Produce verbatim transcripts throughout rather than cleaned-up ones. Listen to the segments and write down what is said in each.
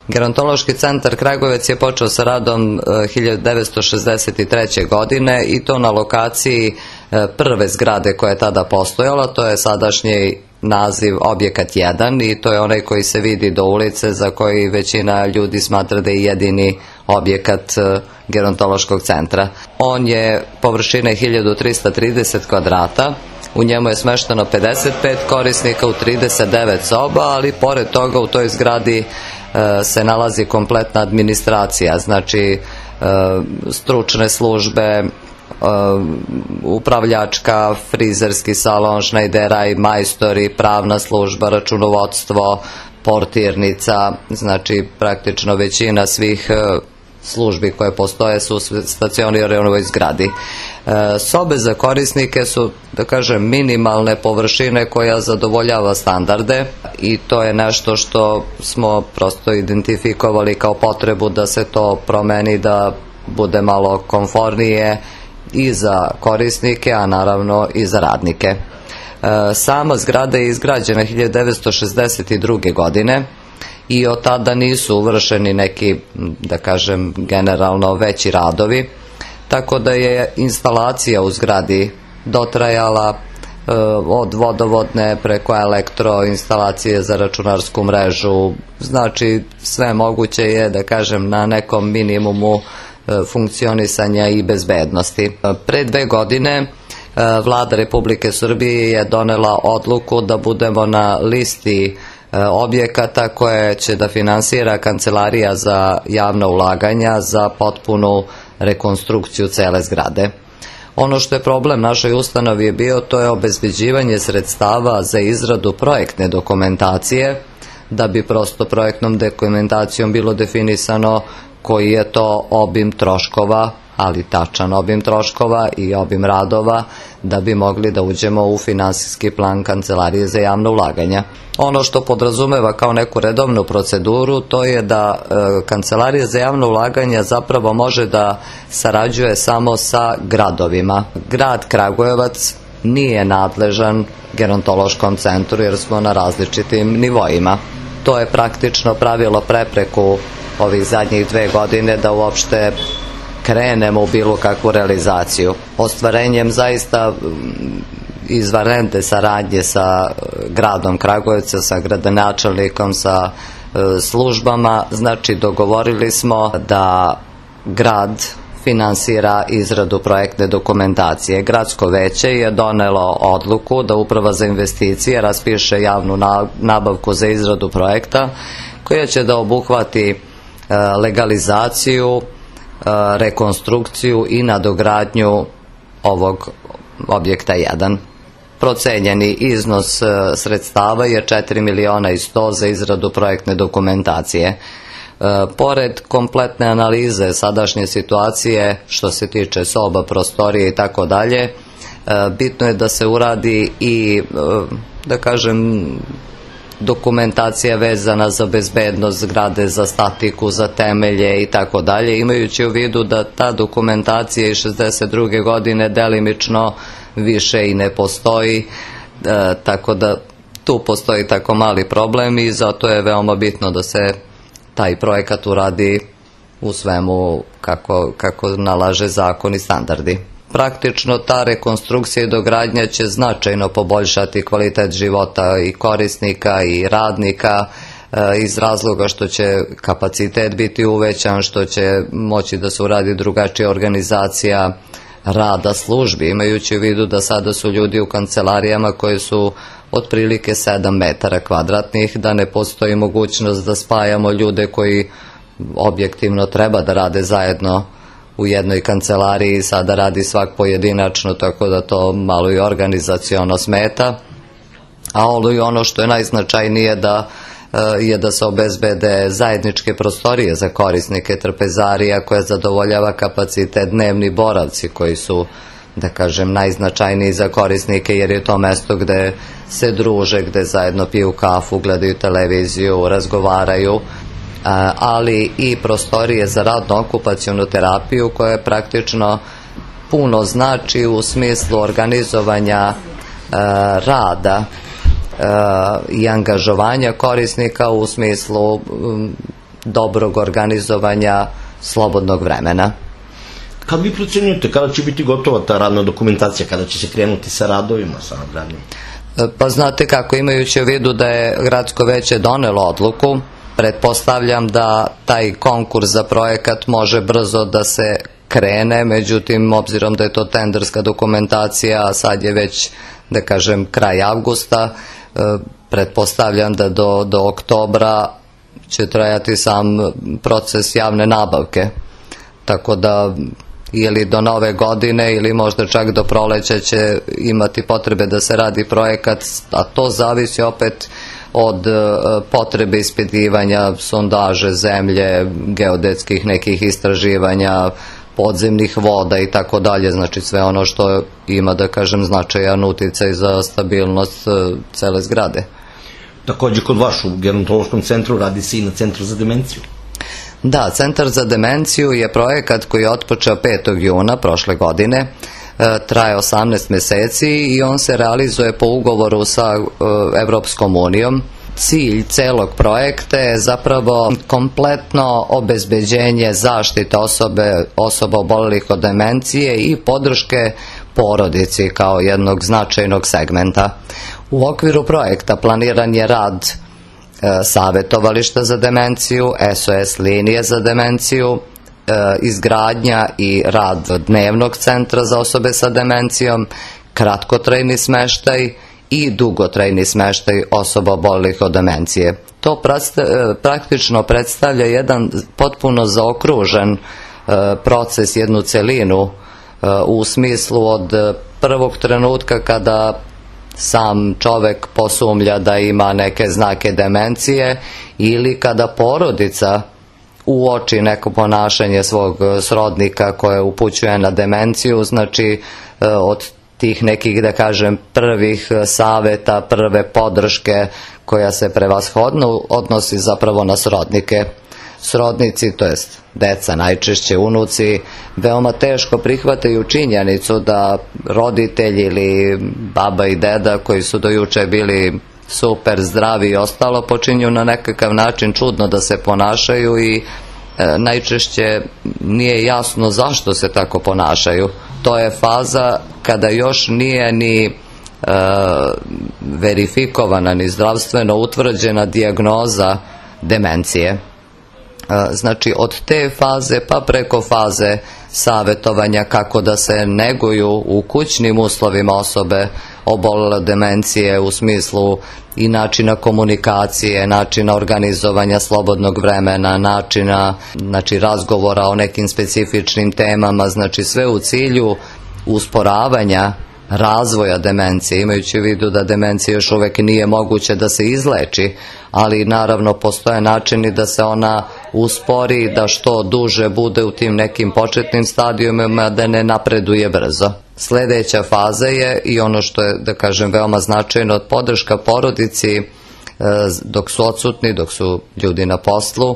Gerontološki centar Kragujevac je počeo sa radom hiljadu devetsto šezdeset treće. godine i to na lokaciji prve zgrade koja je tada postojala, to je sadašnji naziv objekat jedan i to je onaj koji se vidi do ulice, za koji većina ljudi smatra da je jedini objekat gerontološkog centra. On je površine hiljadu trista trideset kvadrata, u njemu je smešteno pedeset pet korisnika u trideset devet soba, ali pored toga u toj zgradi se nalazi kompletna administracija, znači stručne službe, upravljačka, frizerski salon, šnajderaj, majstori, pravna služba, računovodstvo, portirnica, znači praktično većina svih službi koje postoje su stacionirane u ovoj zgradi. Sobe za korisnike su, da kažem, minimalne površine koja zadovoljava standarde i to je nešto što smo prosto identifikovali kao potrebu da se to promeni, da bude malo komfornije i za korisnike, a naravno i za radnike. Sama zgrada je izgrađena hiljadu devetsto šezdeset druge. godine i od tada nisu uvršeni neki, da kažem, generalno veći radovi, tako da je instalacija u zgradi dotrajala od vodovodne preko elektro, instalacije za računarsku mrežu, znači sve moguće je, da kažem, na nekom minimumu funkcionisanja i bezbednosti. Pre dve godine Vlada Republike Srbije je donela odluku da budemo na listi objekata koje će da finansira Kancelarija za javna ulaganja za potpunu rekonstrukciju cele zgrade. Ono što je problem našoj ustanovi je bio, to je obezbeđivanje sredstava za izradu projektne dokumentacije, da bi prosto projektnom dokumentacijom bilo definisano koji je to obim troškova, ali tačan obim troškova i obim radova, da bi mogli da uđemo u finansijski plan Kancelarije za javna ulaganja. Ono što podrazumeva kao neku redovnu proceduru, to je da e, Kancelarija za javna ulaganja zapravo može da sarađuje samo sa gradovima. Grad Kragujevac nije nadležan gerontološkom centru jer smo na različitim nivoima. To je praktično pravilo prepreku ovih zadnjih dve godine da uopšte krenemo u bilo kakvu realizaciju. Ostvarenjem zaista izvanredne saradnje sa gradom Kragujevca, sa gradonačelnikom, sa službama, znači dogovorili smo da grad finansira izradu projektne dokumentacije. Gradsko veće je donelo odluku da Uprava za investicije raspiše javnu nabavku za izradu projekta koja će da obuhvati legalizaciju, rekonstrukciju i nadogradnju ovog objekta jedan. Procenjeni iznos sredstava je četiri miliona i sto za izradu projektne dokumentacije. Pored kompletne analize sadašnje situacije što se tiče soba, prostorije i tako dalje, bitno je da se uradi i, da kažem, dokumentacija vezana za bezbednost zgrade, za statiku, za temelje i tako dalje, imajući u vidu da ta dokumentacija iz šezdeset druge. godine delimično više i ne postoji, e, tako da tu postoji tako mali problem i zato je veoma bitno da se taj projekat uradi u svemu kako, kako nalaže zakon i standardi. Praktično ta rekonstrukcija i dogradnja će značajno poboljšati kvalitet života i korisnika i radnika iz razloga što će kapacitet biti uvećan, što će moći da se uradi drugačija organizacija rada službi, imajući u vidu da sada su ljudi u kancelarijama koje su otprilike sedam metara kvadratnih, da ne postoji mogućnost da spajamo ljude koji objektivno treba da rade zajedno u jednoj kancelariji, sada radi svak pojedinačno, tako da to malo i organizaciono smeta. A ono što je najznačajnije da je da se obezbede zajedničke prostorije za korisnike trpezarija koje zadovoljava kapacitet dnevni boravci koji su, da kažem, najznačajniji za korisnike jer je to mesto gde se druže, gde zajedno piju kafu, gledaju televiziju, razgovaraju, ali i prostorije za radno-okupacionu terapiju koja je praktično puno znači u smislu organizovanja rada i angažovanja korisnika u smislu dobrog organizovanja slobodnog vremena. Kad vi procenjujete kada će biti gotova ta radna dokumentacija, kada će se krenuti sa radovima, sa nadgradnjom? Pa znate kako, imajući u vidu da je gradsko veće donelo odluku, pretpostavljam da taj konkurs za projekat može brzo da se krene, međutim, obzirom da je to tenderska dokumentacija, sad je već, da kažem, kraj avgusta, pretpostavljam da do, do oktobra će trajati sam proces javne nabavke. Tako da ili do nove godine ili možda čak do proleća će imati potrebe da se radi projekat, a to zavisi opet od potrebe ispitivanja sondaže zemlje, geodetskih nekih istraživanja, podzemnih voda i tako dalje, znači sve ono što ima, da kažem, značajan uticaj za stabilnost cele zgrade. Takođe kod vas u gerontološkom centru radi se i na Centru za demenciju. Da, Centar za demenciju je projekat koji je otpočeo petog juna prošle godine, traje osamnaest meseci i on se realizuje po ugovoru sa Evropskom unijom. Cilj celog projekta je zapravo kompletno obezbeđenje zaštite osobe, osoba obolelih od demencije i podrške porodici kao jednog značajnog segmenta. U okviru projekta planiran je rad e, savetovališta za demenciju, S O S linije za demenciju, e, izgradnja i rad dnevnog centra za osobe sa demencijom, kratkotrajni smeštaj i dugotrajni smeštaj osoba obolelih od demencije. To praktično predstavlja jedan potpuno zaokružen proces, jednu celinu u smislu od prvog trenutka kada sam čovek posumlja da ima neke znake demencije ili kada porodica uoči neko ponašanje svog srodnika koje upućuje na demenciju, znači od tih nekih, da kažem, prvih saveta, prve podrške koja se prevashodno odnosi zapravo na srodnike. Srodnici, to jest deca, najčešće unuci, veoma teško prihvataju činjenicu da roditelji ili baba i deda koji su do juče bili super zdravi i ostalo počinju na nekakav način čudno da se ponašaju i e, najčešće nije jasno zašto se tako ponašaju. To je faza kada još nije ni e, verifikovana, ni zdravstveno utvrđena dijagnoza demencije. Znači od te faze pa preko faze savetovanja kako da se neguju u kućnim uslovima osobe obolele demencije u smislu i načina komunikacije, načina organizovanja slobodnog vremena, načina, znači, razgovora o nekim specifičnim temama, znači sve u cilju usporavanja razvoja demencije, imajući u vidu da demencija još uvek nije moguće da se izleči, ali naravno postoje načini da se ona uspori, da što duže bude u tim nekim početnim stadijumima, da ne napreduje brzo. Sledeća faza je i ono što je, da kažem, veoma značajno, podrška porodici dok su odsutni, dok su ljudi na poslu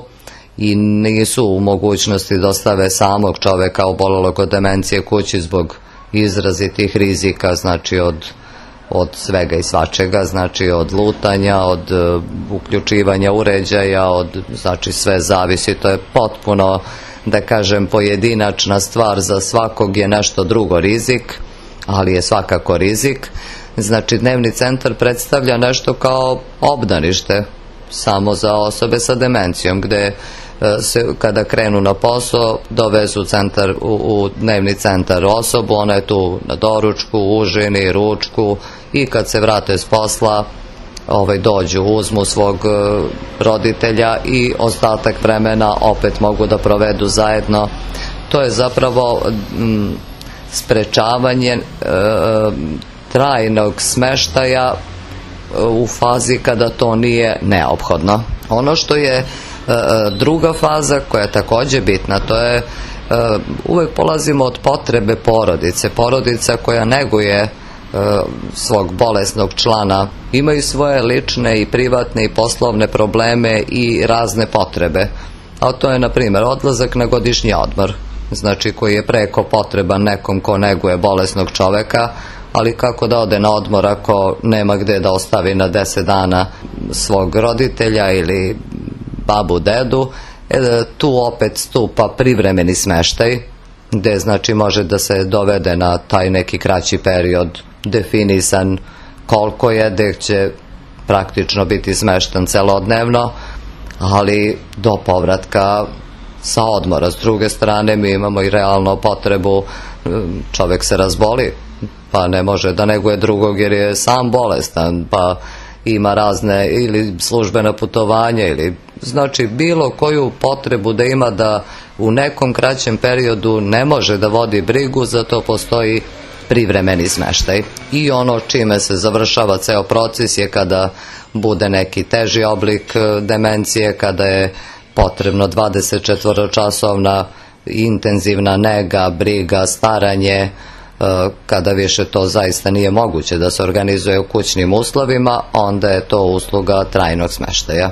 i nisu u mogućnosti da ostave samog čoveka obolelog od demencije kući zbog izrazitih rizika, znači od, od svega i svačega, znači od lutanja, od uh, uključivanja uređaja, od, znači sve zavisi, to je potpuno, da kažem, pojedinačna stvar, za svakog je nešto drugo rizik, ali je svakako rizik. Znači dnevni centar predstavlja nešto kao obdanište samo za osobe sa demencijom, gde se, kada krenu na posao, dovezu centar, u, u dnevni centar osobu, ona je tu na doručku, užini, ručku i kad se vrate s posla, ovaj, dođu, uzmu svog uh, roditelja i ostatak vremena opet mogu da provedu zajedno. To je zapravo m, sprečavanje uh, trajnog smeštaja uh, u fazi kada to nije neophodno. Ono što je druga faza koja je takođe bitna, to je uvek polazimo od potrebe porodice. Porodica koja neguje svog bolesnog člana imaju svoje lične i privatne i poslovne probleme i razne potrebe. A to je, na primjer, odlazak na godišnji odmor, znači koji je preko potreban nekom ko neguje bolesnog čoveka, ali kako da ode na odmor ako nema gde da ostavi na deset dana svog roditelja ili babu, dedu, Tu opet stupa privremeni smeštaj, gde znači može da se dovede na taj neki kraći period definisan koliko je, gde će praktično biti smeštan celodnevno, ali do povratka sa odmora. S druge strane, mi imamo i realno potrebu, čovek se razboli, pa ne može da neguje drugog jer je sam bolestan, pa ima razne ili službena putovanja ili znači bilo koju potrebu da ima da u nekom kraćem periodu ne može da vodi brigu, zato postoji privremeni smeštaj. I ono čime se završava ceo proces je kada bude neki teži oblik demencije, kada je potrebno dvadesetčetvoročasovna intenzivna nega, briga, staranje, kada više to zaista nije moguće da se organizuje u kućnim uslovima, onda je to usluga trajnog smeštaja.